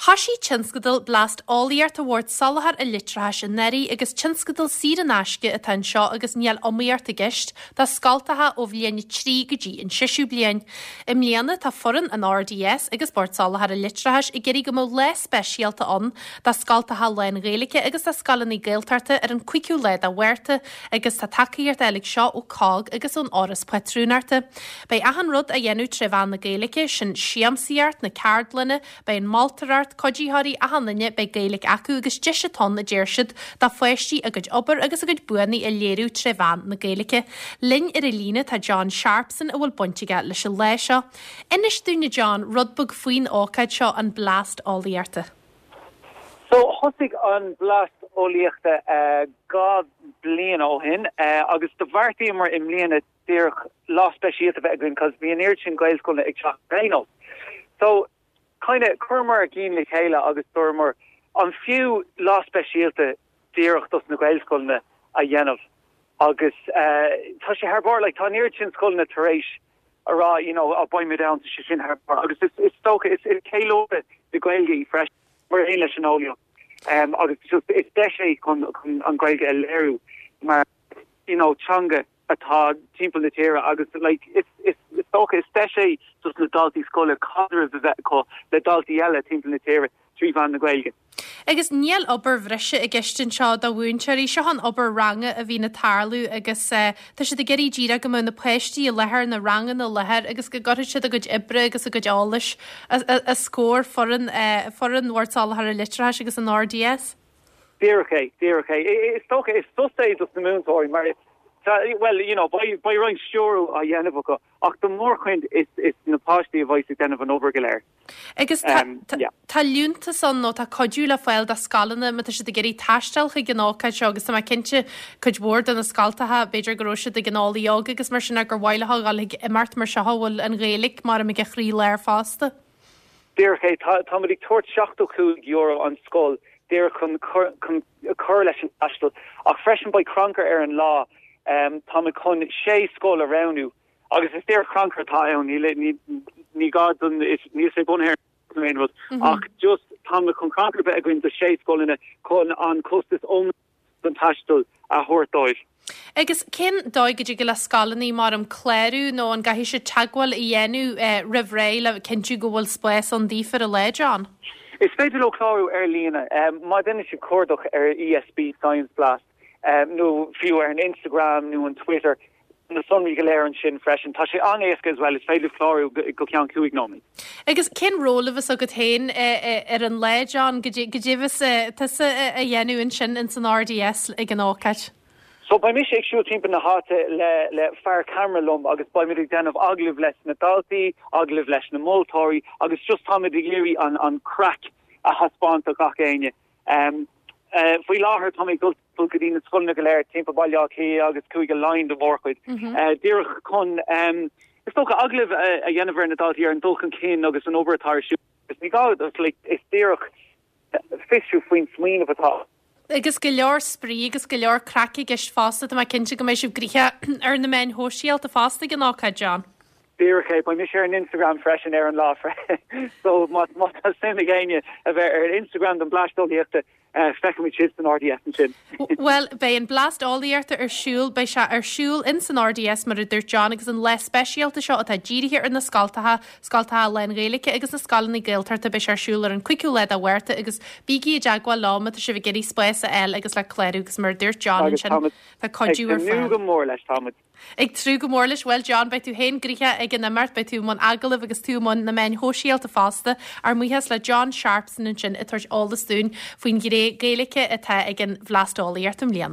Thoisigh tionscadal Blast Eolaíochta Bhord Soláthair an Leictreachais anuraidh agus tionscadal saor in aisce atá anseo agus níl iomaíocht i gceist do scoltacha ó bhliain 3 go dtí an seisiú bliain. I mbliana tá foireann an RDS agus Bord Soláthair an Leictreachais ag iarraidh go mbeadh lá speisialta ann do scoltacha lán-Ghaeilge agus do scoileanna Gaeltachta ar an 5ú lá de Mhárta agus tá tacaíocht á fháil aige seo ó COGG agus ón Fhoras Pátrúnachta. Beidh achan rud á dhéanamh tré mheán na Gaeilge, sin siamsaíocht, na ceardlanna, beidh an moltóireacht, cuiditheoirí, achan duine, beidh Gaeilge acu agus deis atá ann, a deir siad, do pháistí a gcuid obair agus a gcuid buanna a léiriú tré mheán na Gaeilge. Linn ar an líne tá John Sharpson a bhfuil baint aige leis an lá seo. Inis dúinn a John, rud beag faoin ócáid seo, an Blast Eolaíochta. So, thosaigh an Blast Eolaíochta 2 bliain ó shin agus do bheartaíomar i mbliana díreach lá speisialta a bheith againn cos bhí an oiread sin Gaelscoileanna ag teacht ar aon nós. So, kinda, chuireamar ár gcinn le chéile agus dúramar an fiú lá speisialta díreach dos na Gaelscoileanna a dhéanamh agus eh, tá sé thar barr, like, tá an oiread sin scoileanna tar éis a rá, you know, oh, beidh muid ann, tá sé sin thar barr agus is, is dócha, is, is ceiliúradh na Gaeilge í freisin, mar aon leis an eolaíocht. Um, agus just, is deis é chun, chun an Ghaeilge a léiriú mar, you know, teanga atá timpeall na tíre agus like is is is dócha is deis é dos na daltaí scoile caidreamh a bheith acu le daltaí eile timpeall na tíre trí mheán na Gaeilge. Agus níl obair bhreise i gceist anseo do mhúinteoirí, seo an obair ranga a bhíonn ag tarlú agus tá siad ag iarraidh díreach go mbeadh na páistí i láthair, na ranganna i láthair agus go gcuirfidh siad a gcuid oibre agus a gcuid eolais os comhair foireann foireann Bhord Soláthair an Leictreachais agus an RDS. Díreach é, díreach é. Is dócha, is sos é dos na múinteoirí mar, bhuel, you know, beidh, beidh roinnt stiúrú á dhéanamh acu ach do mhórchuid is, is na páistí a bheas ag déanamh an obair go léir. Agus tá, tá, tá liúntas ann nó tá cuidiú le fáil do scoileanna má tá siad ag iarraidh taisteal chuig an ócáid seo agus tá mé cinnte cuid mhór de na scoltacha, b'fhéidir go raibh siad ag an Eolaí Óg agus mar sin gur mhaith leo a dhul chuig imeacht mar seo a bhfuil an Ghaeilge mar ag a chroílár fosta. Díreach é. Táimid ag tabhairt €75 an scoil díreach chun chun cur leis an taisteal ach freisin beidh crannchur ar an lá. Táimid chun sé scoil a roghnú agus is díreach crannchur atá ann, níl ní gá don níl sé bunaithe ar aon rud ach just táimid chun crannchur a bheith againn do sé scoileanna chun an costas iomlán don taisteal a thabhairt dóibh. Agus cén dóigh go dtig le scoileanna mar um clárú nó an gcaithfidh siad teagmháil a dhéanamh roimh ré le cinntiú go bhfuil spás ann daofa ar an lá, John? Is féidir leo clárú ar líne. Má dhéanann siad cuardach ar ESB Science Blast nó fiú ar an Instagram nó an Twitter, na sonraí go léir ansin freisin. Tá sé an-éasca as well, is féidir clárú go ceann 5 nóiméad. Agus cén ról a bheas agat féin ar an lá, John? Goidé a bheas tusa a dhéanamh ansin ins an RDS ag an ócáid? So beidh mise ag siúl timpeall na háite le le fear ceamara liom agus beimid ag déanamh agallamh leis na daltaí, agallamh leis na moltóirí agus just táimid ag iarraidh an an craic a thaispeáint do gach éinne. Faoi láthair tá mé ag dul go dtí na scoileanna go léir timpeall Baile Átha Cliath agus Cúige Laighean do mhórchuid, díreach chun, is dócha, agallamh a dhéanamh ar na daltaí ar an dul chun cinn agus an obair atá ar siúl. Ní gá, is díreach fiosrú faoin smaoineamh atá. Agus go leor spraoi agus go leor craic i gceist fosta, tá mé cinnte go mbeidh sibh gnoitheach ar na meáin shóisialta fosta ag an ócáid, John. Díreach é, beidh mise ar an Instagram freisin ar an lá so má tá suim ag éinne a bheith ar Instagram don Blast Eolaíochta, feicfimid sibh san RDS ansin. Bhuel, beidh an Blast Eolaíochta ar siúl, beidh sé ar siúl in san RDS mar a dúirt John agus an lá speisialta seo atá dírithe ar na scoltacha, scoltacha lán-Ghaeilge agus na scoileanna Gaeltachta, beidh sé ar siúl ar an 5ú lá de Mhárta agus bígí i dteagmháil leo má tá sibh ag iarraidh spás a fháil agus le clárú agus mar a dúirt John ansin, tá cuidiú ar fáil. Ag tnúth go mór leis, táimid. Ag tnúth go mór leis. Bhuel, John, beidh tú féin gnoitheach ag an imeacht, beidh tú i mbun agallaimh agus tú i mbun na meáin shóisialta fosta. Ár mbuíochas le John Sharpson ansin ag tabhairt eolas dúinn faoin ghné Gaeilge atá ag an Bhlast Eolaíochta i mbliana.